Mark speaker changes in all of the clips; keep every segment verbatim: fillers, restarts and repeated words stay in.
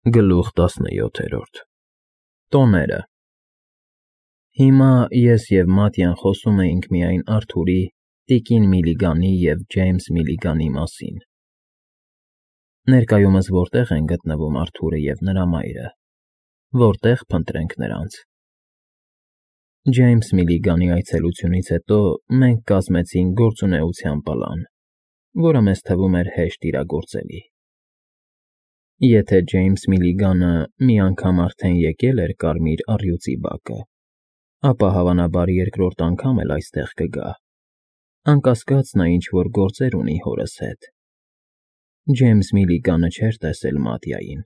Speaker 1: Գլուխ տասնյոթերորդ Տոները Հիմա ես և Մատյան խոսում էինք միայն Արթուրի, տիկին Միլիգանի և Ջեյմս Միլիգանի մասին։ Ներկայումս որտե՞ղ են գտնվում Արթուրը և նրա մայրը, որտե՞ղ փնտրենք նրանց։ Ջեյմս Միլիգանի այցելությունից հետո մենք կազմեցինք գործունեության պլան, որը մեզ թվում էր հեշտ իրագործելի։ Եթե Ջեյմս Միլիգանը մի անգամ արդեն եկել էր Կարմիր առյուծի բակը, ապա հավանաբար երկրորդ անգամ էլ այստեղ կգա, անկասկած նա ինչ֊որ գործեր ունի հորս հետ։ Ջեյմս Միլիգանը չէր տեսել Մատյային,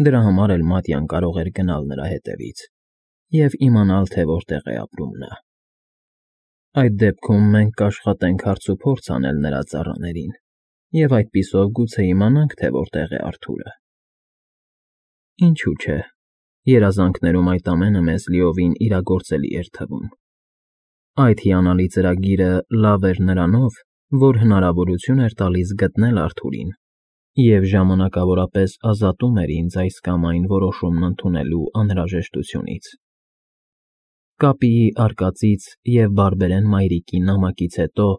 Speaker 1: դրա համար էլ Մատյան կարող էր գնալ նրա հետևից և իմանալ, թե որտեղ է ապրում նա։ Այդ դեպքում մենք կաշխատենք հարցուփորձ անել նրա ծառաներին և այդպիսով գուցե իմանանք, թե որտեղ է Արթուրը։ Ինչու՞ չէ, երազանքներում այդ ամենը մեզ լիովին իրագործելի էր թվում։ Այդ հիանալի ծրագիրը լավ էր նրանով, որ հնարավորություն էր տալիս գտնել Արթուրին և ժամանակավորապես ազատում էր ինձ այս կամ այն որոշումն ընդունելու անհրաժեշտությունից։ Կապիի արկածից և բարբերեն մայրիկի նամակից հետո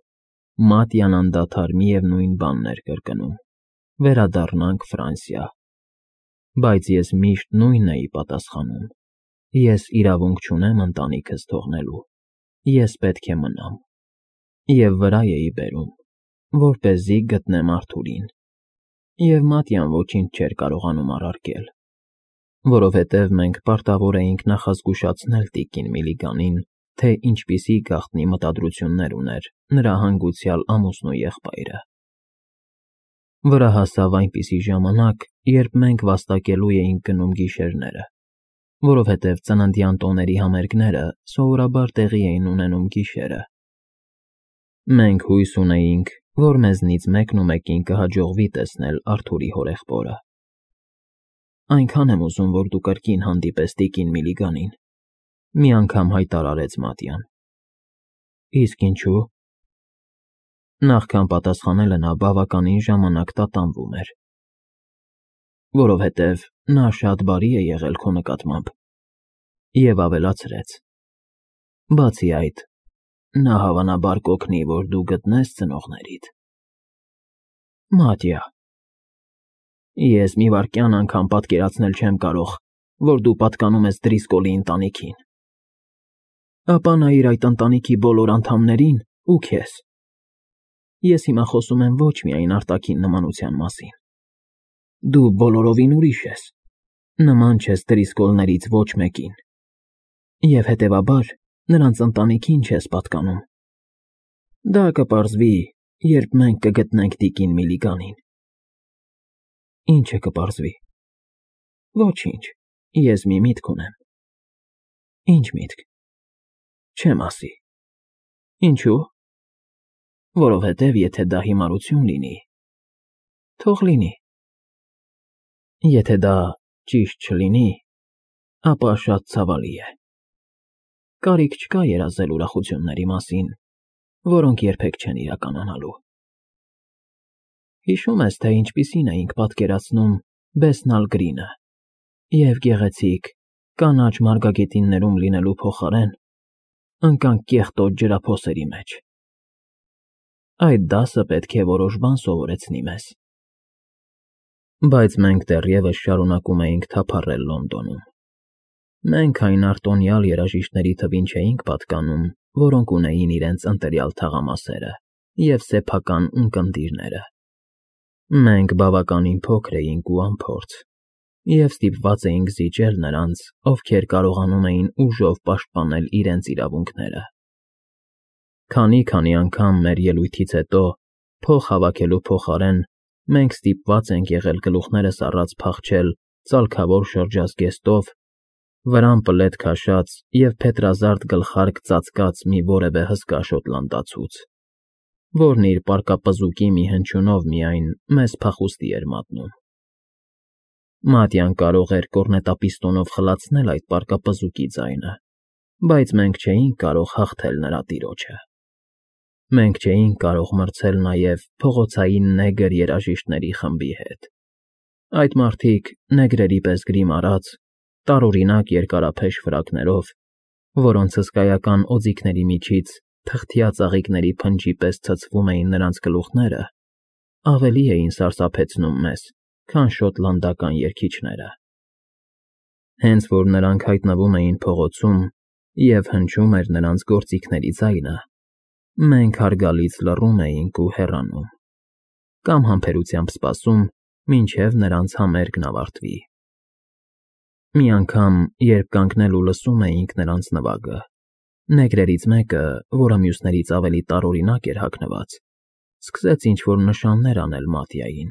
Speaker 1: Մատյան անդադար միևնույն բանն էր կրկնում. «Վերադառնանք Ֆրանսիա», բայց ես միշտ նույնն էի պատասխանում. «Ես իրավունք չունեմ ընտանիքս թողնելու, ես պետք է մնամ», և վրա էի բերում, որպեսզի գտնեմ Արթուրին, և Մատյան ոչինչ չէր կարողանում առարկել, որովհետև մենք պարտավոր էինք նախազգուշացնել տիկին Միլիգանին, թե ինչպիսի գաղտնի մտադրություններ ուներ նրա հանգուցյալ ամուսնու եղբայրը։ Վրա հասավ այնպիսի ժամանակ, երբ մենք վաստակելու էինք գնում գիշերները, որովհետև ծննդյան տոների համերգները սովորաբար տեղի էին ունենում գիշերը։ Մենք հույս ունեինք, որ մեզնից մեկնումեկին կհաջողվի տեսնել Արթուրի հորեղբորը։ «Այնքան եմ ուզում, որ դու կրկին հանդիպես տիկին Միլիգանին», մի անգամ հայտարարեց Մատյան։ «Իսկ ինչու՞»։ Նախքան պատասխանելը նա բավականին ժամանակ տատանվում էր։ «Որովհետև նա շատ բարի է եղել քո նկատմամբ», և ավելացրեց. «Բացի այդ, նա հավանաբար կօգնի, որ դու գտնես ծնողներիդ»։ «Մատյա, ես մի վայրկյան անգամ պատկերացնել չեմ կարող, որ դու պատկանում ես Դրիսկոլի ընտանիքին։ Ապա նայիր այդ ընտանիքի բոլոր անդամներին ու քեզ։ Ես հիմա խոսում եմ ոչ միայն արտաքին նմանության մասին։ Դու բոլորովին ուրիշ ես, նման չես Դրիսկոլներից ոչ մեկին, և հետևաբար նրանց ընտանիքին չես պատկանում։ Դա կպարզվի, երբ մենք կգտնենք տիկին Միլիգանին»։ «Ի՞նչը կպարզվի»։ «Ոչինչ, ես մի միտք ունեմ»։ «Ի՞նչ միտք»։ «Չեմ ասի»։ «Ինչու՞։ Որովհետև եթե դա հիմարություն լինի, թող լինի։ Եթե դա ճիշտ չլինի, ապա շատ ցավալի է։ Կարիք չկա երազել ուրախությունների մասին, որոնք երբեք չեն իրականանալու»։ «Հիշո՞ւմ ես, թե ինչպիսին էինք պատկերացնում Բեսնալ Գրինը և գեղեցիկ, կանաչ մարգագետիններում լինելու փոխարեն ընկանք կեղտոտ ջրափոսերի մեջ։ Այդ դասը պետք է որոշ բան սովորեցնի մեզ»։ Բայց մենք դեռևս շարունակում էինք թափառել Լոնդոնում։ Մենք այն արտոնյալ երաժիշտների թվին չէինք պատկանում, որոնք ունեին իրենց ընտրյալ թաղամասերը և սեփական ունկնդիրները։ Մենք բավականին փոքր էինք ու անփորձ, և ստիպված էինք զիջել նրանց, ովքեր կարողանում էին ուժով պաշտպանել իրենց իրավունքները։ Քանի֊քանի անգամ մեր ելույթից հետո, փող հավաքելու փոխարեն, մենք ստիպված ենք եղել գլուխներս առած փախչել ծալքավոր շրջազգեստով, վրան պլեդ քաշած և փետրազարդ գլխարկ ծածկած մի որևէ հսկա շոտլանդացուց, որն իր պարկապզուկի մի հնչյունով միայն մեզ փախուստի էր մատնում։ Մատյան կարող էր կոռնետապիստոնով խլացնել այդ պարկապզուկի ձայնը, բայց մենք չէինք կարող հաղթել նրա տիրոջը։ Մենք չէինք կարող մրցել նաև փողոցային նեգր երաժիշտների խմբի հետ։ Այդ մարդիկ, նեգրերի պես գրիմ արած, տարօրինակ երկարափեշ ֆրակներով, որոնց հսկայական օձիքների միջից թղթյա ծաղիկների փնջի պես ցցվում էին նրանց գլուխները, ավելի էին սարսափեցնում մեզ, քան շոտլանդական երգիչները։ Հենց որ նրանք հայտնվում էին փողոցում և հնչում էր նրանց գործիքների ձայնը, մենք հարգալից լռում էինք ու հեռանում, կամ համբերությամբ սպասում, մինչև նրանց համերգն ավարտվի։ Մի անգամ, երբ կանգնել ու լսում էինք նրանց նվագը, նեգրերից մեկը, որը մյուսներից ավելի տարօրինակ էր հագնված, սկսեց ինչ-որ նշաններ անել Մատյային։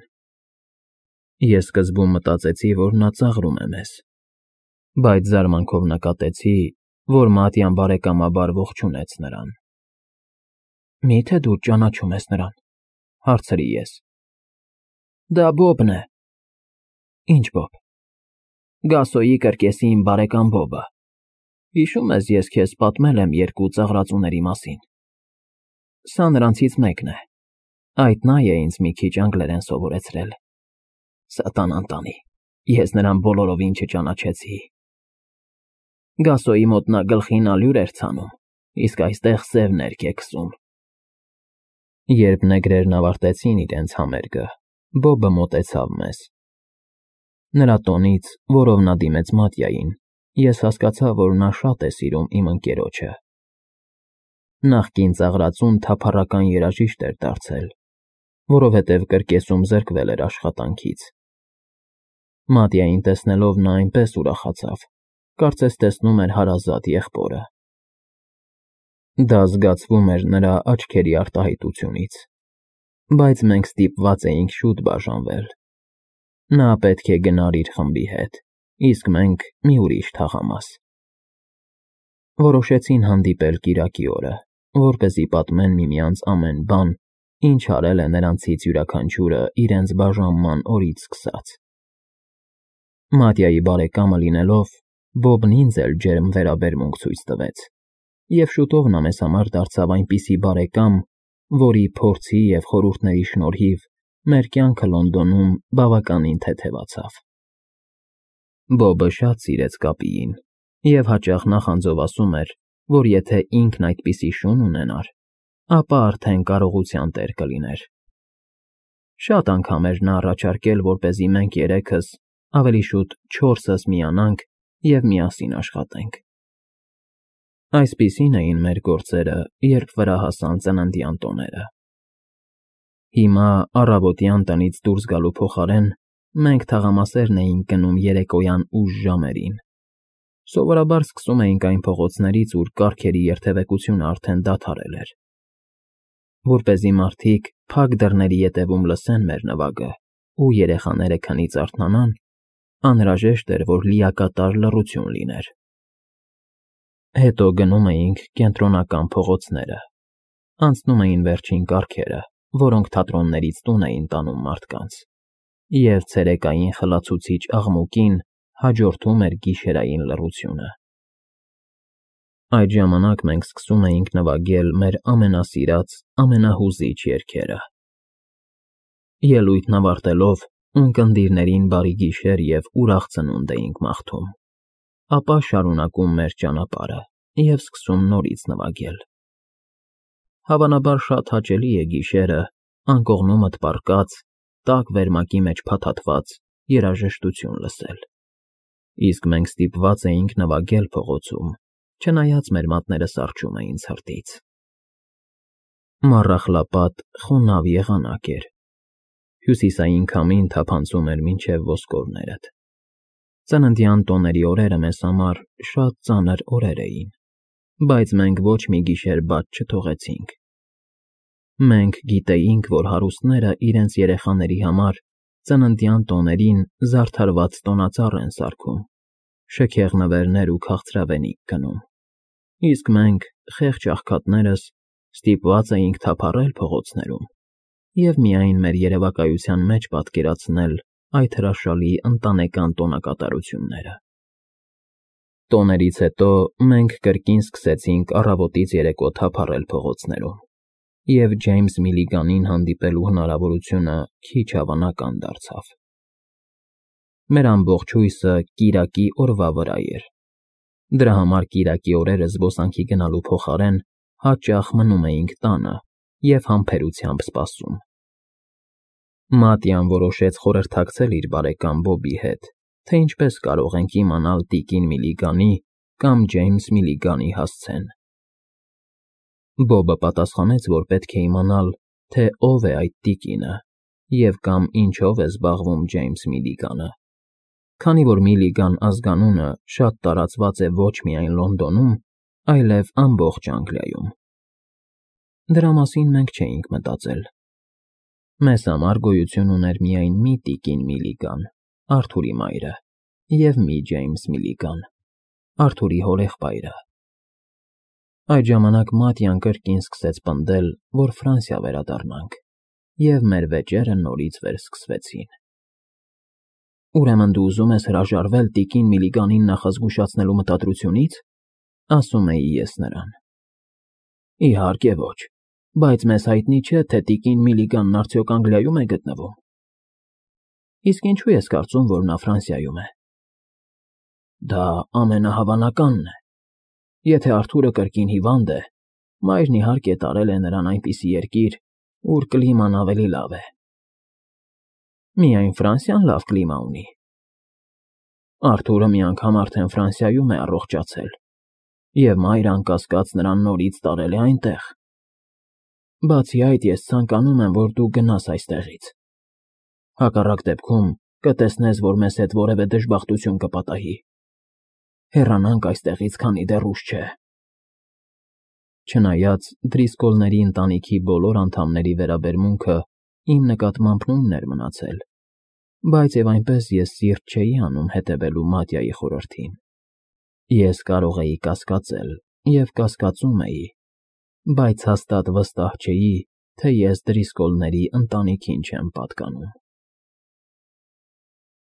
Speaker 1: Ես սկզբում մտածեցի, որ նա ծաղրում է մեզ, բայց զարմանքով նկատեցի, որ Մատյան բարեկամաբար ողջունեց նրան։ «Մի՞թե դու ճանաչում ես նրան», հարցրի ես։ «Դա Բոբն է»։ «Ի՞նչ Բոբ»։ «Գասոյի կրկեսի իմ բարեկամ Բոբը։ Հիշում ես, ես քեզ պատմել եմ երկու ծաղրածուների մասին։ Սա նրանցից մեկն է։ Այդ նա է ինձ մի քիչ անգլերեն սովորեցրել։ Սատանան տանի, ես նրան բոլորովին չճանաչեցի։ Գասոյի մոտ նա գլխին ալյուր էր ցանում, իսկ այստեղ սև ներք է քսում»։ Երբ նեգրերն ավարտեցին իրենց համերգը, Բոբը մոտեցավ մեզ։ Նրա տոնից, որով նա դիմեց Մատյային, ես հասկացա, որ նա շատ է սիրում իմ ընկերոջը։ Նախկին ծաղրածուն թափառական երաժիշտ էր դարձել, որովհետև կրկեսում զրկվել էր աշխատանքից։ Մատյային տեսնելով նա այնպես ուրախացավ, կարծես տեսնում էր հարազատ եղբորը։ Դա զգացվում էր նրա աչքերի արտահայտությունից, բայց մենք ստիպված էինք շուտ բաժանվել։ Նա պետք է գնար իր խմբի հետ, իսկ մենք մի ուրիշ թաղամաս։ Որոշեցին հանդիպել կիրակի օրը, որպեսզի պատմեն միմյանց ամեն բան, ինչ արել է նրանցից յուրաքանչյուրը իրենց բաժանման օրից սկսած։ Մատյայի բարեկամը լինելով, Բոբն ինձ էլ ջերմ վերաբերմունք ցույց տվեց, և շուտով նա մեզ համար դարձավ այնպիսի բարեկամ, որի փորձի և խորհուրդների շնորհիվ մեր կյանքը Լոնդոնում բավականին թեթևացավ։ Բոբը շատ սիրեց Կապիին և հաճախ նախանձով ասում էր, որ եթե ինքն այդպիսի շուն ունենար, ապա արդեն կարողության տեր կլիներ։ Շատ անգամ էր նա առաջարկել, որպեսզի մենք երեքս, ավելի շուտ չորսս միանանք և միասին աշխատենք։ Այսպիսին էին մեր գործերը, երբ վրա հասան ծննդյան տոները։ Հիմա առավոտյան տնից դուրս գալու փոխարեն մենք թաղամասերն էինք գնում երեկոյան ուշ ժամերին։ Սովորաբար սկսում էինք այն փողոցներից, ուր կառքերի երթևեկությունը արդեն դադարել էր։ Որպեսզի մարդիկ փակ դռների ետևում լսեն մեր նվագը ու երեխաները քնից արթնանան, անհրաժեշտ էր, որ լիակատար լռություն լիներ։ Հետո գնում էինք կենտրոնական փողոցները, անցնում էին վերջին կառքերը, որոնք թատրոններից տուն էին տանում մարդկանց, և ցերեկային խլացուցիչ աղմուկին հաջորդում էր գիշերային լռությունը։ Այդ ժամանակ մենք սկսում էինք նվագել մեր ամենասիրած, ամենահուզիչ երգերը։ Ելույթն ավարտելով, ունկնդիրներին բարի գիշեր և ուրախ ծնունդ էինք մաղթում, ապա շարունակում մեր ճանապարհը և սկսում նորից նվագել։ Հավանաբար շատ հաճելի է գիշերը, անկողնումդ պառկած, տաք վերմակի մեջ փաթաթված երաժշտություն լսել, իսկ մենք ստիպված էինք նվագել փողոցում, չնայած մեր մատները սառչում էին ցրտից։ Մառախլապատ, խոնավ եղանակ էր։ Հյուսիսային քամին թափանցում էր մինչև ոսկորներդ։ Ծննդյան տոների օրերը մեզ համար շատ ծանր օրեր էին, բայց մենք ոչ մի գիշեր բաց չթողեցինք։ Մենք գիտեինք, որ հարուստները իրենց երեխաների համար ծննդյան տոներին զարդարված տոնածառ են սարքում, շքեղ նվերներ ու քաղցրավենիք գնում, իսկ մենք, խեղճ աղքատներս, ստիպված էինք թափառել փողոցներում և միայն մեր երևակայության մեջ պատկերացնել այդ հրաշալի ընտանեկան տոնակատարությունները։ Տոներից հետո մենք կրկին սկսեցինք առավոտից երեկո թափառել փողոցներում, և Ջեյմս Միլիգանին հանդիպելու հնարավորությունը քիչ հավանական դարձավ։ Մեր ամբողջ հույսը կիրակի օրվա վրա էր։ Դրա համար կիրակի օրերը զբոսանքի գնալու փոխարեն հաճախ մնում էինք տանը և համբերությամբ սպասում։ Մատյան որոշեց խորհրդակցել իր բարեկամ Բոբի հետ, թե ինչպես կարող ենք իմանալ տիկին Միլիգանի կամ Ջեյմս Միլիգանի հասցեն։ Բոբը պատասխանեց, որ պետք է իմանալ, թե ով է այդ տիկինը և կամ ինչով է զբաղվում Ջեյմս Միլիգանը, քանի որ Միլիգան ազգանունը շատ տարածված է ոչ միայն Լոնդոնում, այլև ամբողջ Անգլիայում։ Դրա մասին մենք չէինք մտածել։ Մեզ համար գոյություն ուներ միայն մի տիկին Միլիգան, Արթուրի մայրը, և մի Ջեյմս Միլիգան, Արթուրի հորեղբայրը։ Այդ ժամանակ Մատյան կրկին սկսեց պնդել, որ Ֆրանսիա վերադառնանք, և մեր վեճերը նորից վերսկսվեցին։ Ուրեմն դու ուզում ես հրաժարվե՞լ տիկին Միլիգանին նախազգուշացնելու մտադրությունից, ասում էի ես նրան։ Իհարկե ոչ, բայց մեզ հայտնի չէ, թե տիկին Միլիգանն արդյոք Անգլիայում է գտնվում։ Իսկ ինչու ես կարծում, որ նա Ֆրանսիայում է։ Դա ամենահավանականն է։ Եթե Արթուրը կրկին հիվանդ է, մայրն իհարկե տարել է նրան այնպիսի երկիր, ուր կլիման ավելի լավ է։ Միայն Ֆրանսիան լավ կլիմա ունի։ Արթուրը մի անգամ արդեն Ֆրանսիայում է առողջացել, և մայրը անկասկած նրան նորից տարել է այնտեղ։ Բացի այդ, ես ցանկանում եմ, որ դու գնաս այստեղից։ Հակառակ դեպքում կտեսնես, որ մեզ հետ որևէ դժբախտություն կպատահի։ Հեռանանք այստեղից, քանի դեռ ուշ չէ։ Չնայած Դրիսկոլների ընտանիքի բոլոր անդամների վերաբերմունքը իմ նկատմամբ նույնն էր մնացել, բայց և այնպես ես սիրտ չէի անում հետևելու Մատյայի խորհրդին։ Ես կարող էի կասկածել և կասկածում էի, բայց հաստատ վստահ չէի, թե ես Դրիսկոլների ընտանիքին չեմ պատկանում։